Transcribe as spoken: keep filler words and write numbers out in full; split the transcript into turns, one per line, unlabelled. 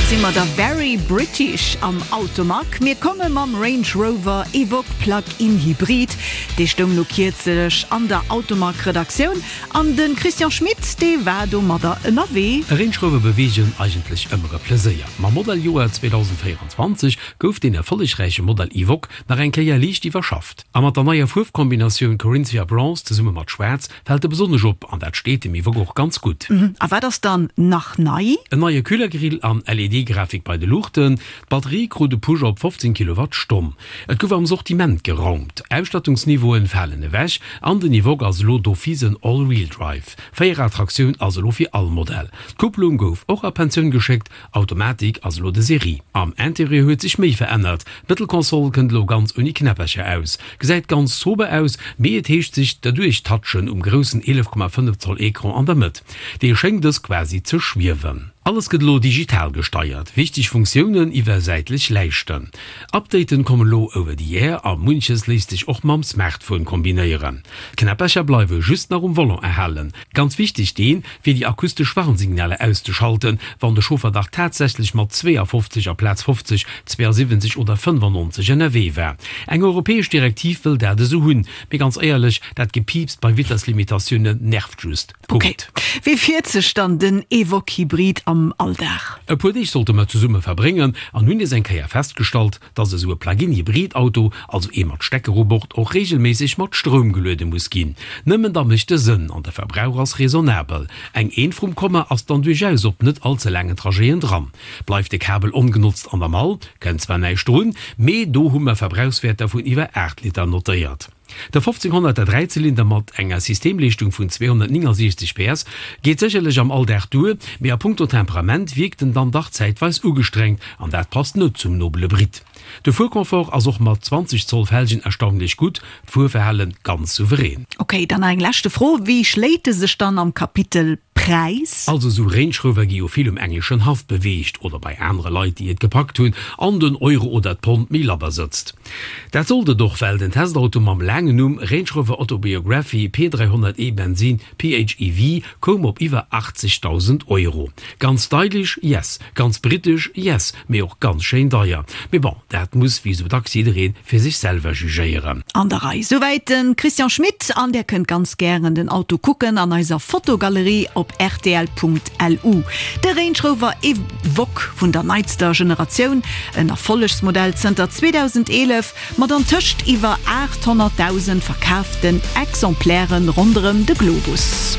si mer da very British am Automag. Mir komme mam Range Rover Evoque Plug-in Hybrid. Dee stoung lo kierzlech an der Automag-Redaktioun an de Christian Schmit, dee war domadder ënnerwee.
E Range Rover beweegen, eigentlech ëmmer e Pleséier. Mam Modelljoer zweedausendvéierenzwanzeg gouf deen erfollegräiche Modell Evoque nach eng Kéier liicht iwwerschafft. A mat der neier Fuerfkombinatioun Corinthia Bronze zesumme mat Schwaarz fält e besonnesch op an dat steet dem Evoque och ganz gutt.
A wat ass dann nach nei?
En neie Kühlergrill an L E D-Grafik bei de Luuchten. D'Batterie krut e Push op fofzéng Kilowattstonn. Et gouf am Sortiment geraumt, Ausstattungsniveauen falen ewech an den Evoque ass elo d'office en All-Wheel-Drive. Véierrad-Traktioun ass elo fir all Modell. D'Kupplung gouf och a Pensioun geschéckt, Automatik ass elo de Serie. Am Interieur huet sech méi verännert, D'Mëttelkonsol kënnt elo ganz ouni Knäppercher aus. Gesäit ganz sober aus, mee et heescht sech derduerch touchen um groussen eelef Komma fënnef Zoll Ecran an der Mëtt. Dee schéngt dës quasi ze schwiewen. Alles gëtt elo digital gesteiert, wichteg Funktiounen iwwer säitlech Läischten. Updaten kommen elo over the air a munches léisst sech och mam Smartphone kombinéieren. D'Knäppercher bleiwe just nach um Volant erhalen. Ganz wichteg deen, fir déi akustesch Warnsignaler auszeschalten, wann de Chauffer dach tatsächlech mat zweeafofzeg aplaz fofzeg, zweeasiwwenzeg oder fënnefannonzeg ënnerwee war. Eng europäesch Direktiv wëll dat esou hunn. Mee ganz éierlech, dat Gepiips bei Vitesslimitatiounen nervt just.
Okay.
Punkt.
Wéi fiert sech dann den Evoque Hybrid am Alldag?
E puer Deeg sollte mer zesumme verbréngen an hunn nees eng Kéier festgestallt, dass esou e Plug-in-Hybrid-Auto, also ee mat Stecker u Bord, och reegelméisseg mat Stroum geluede muss ginn. Nëmmen da mécht e Sënn an de Verbrauch ass raisonnabel. Eng Eent vrum Komma ass dann duerchaus op net all ze laangen Trajeten dran. Bleift de Kabel ongenotzt an der Mall, kënnt zwar näischt drun, mee do hu mer Verbrauchswäerter vun iwwer aacht Liter notéiert. De fofzénghonnerter Dräizylinder mat enger Systemleeschtung vun zweehonnertnéngasiechzeg P S geet sécherlech am Alldag duer, mee a punkto Temperament wierkt en dann dach zäitweis ugestrengt an dat passt net zum nobele Brit. De Fuerconfort ass och mat zwanzeg Zoll Felgen erstaunlech gutt, d'Fuerverhale ganz souverän.
Okay, dann nach eng leschte Fro, Wéi schléit e sech dann am Kapitel Präis?
Also sou Range Rover gi jo vill um engleschen Haff beweegt oder bei anere Leit, déi et gepackt hunn an den Euro oder d'Pond méi labber sëtzt. Dat sollt et och, well den Testauto mam laangen Numm Range Rover Autobiography P dräihonnert E Bensin P H E V koum op iwwer aachtzegdausend Euro. Ganz stylish? Yes. Ganz britesch? Yes. Mee och ganz schéin deier. Mee bon, dat muss wéi sou dacks jidderee fir sech selwer jugéieren.
An der Rei. Souwäit de Christian Schmit an Dir kënnt ganz gären den Auto kucken an eiser Fotogalerie op R T L Punkt L U. De Range Rover Evoque vun der neitster Generatioun, en Erfollegsmodell zënter zweedausendeelef, mat antëscht iwwer aathonnertdausend verkaaften Exemplairen ronderëm de Globus.